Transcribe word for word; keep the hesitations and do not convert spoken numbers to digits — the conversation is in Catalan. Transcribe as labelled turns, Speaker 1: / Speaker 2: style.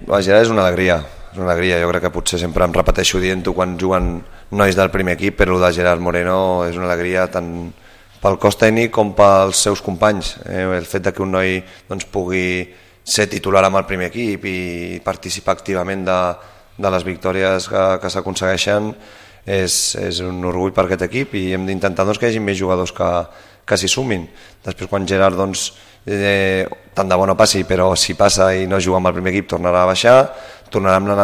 Speaker 1: La Gerard és una alegria, és una alegria. Jo crec que potser sempre em repeteixo dient-ho quan juguen nois del primer equip, però el de Gerard Moreno és una alegria tant pel cos tècnic com pels seus companys. Eh? El fet de que un noi doncs, pugui ser titular amb el primer equip i participar activament de, de les victòries que, que s'aconsegueixen és, és un orgull per aquest equip i hem d'intentar doncs, que hi hagi més jugadors que, que s'hi sumin. Després quan Gerard doncs, eh, tant de bo no passi, però si passa i no juga amb el primer equip tornarà a baixar, tornarà amb la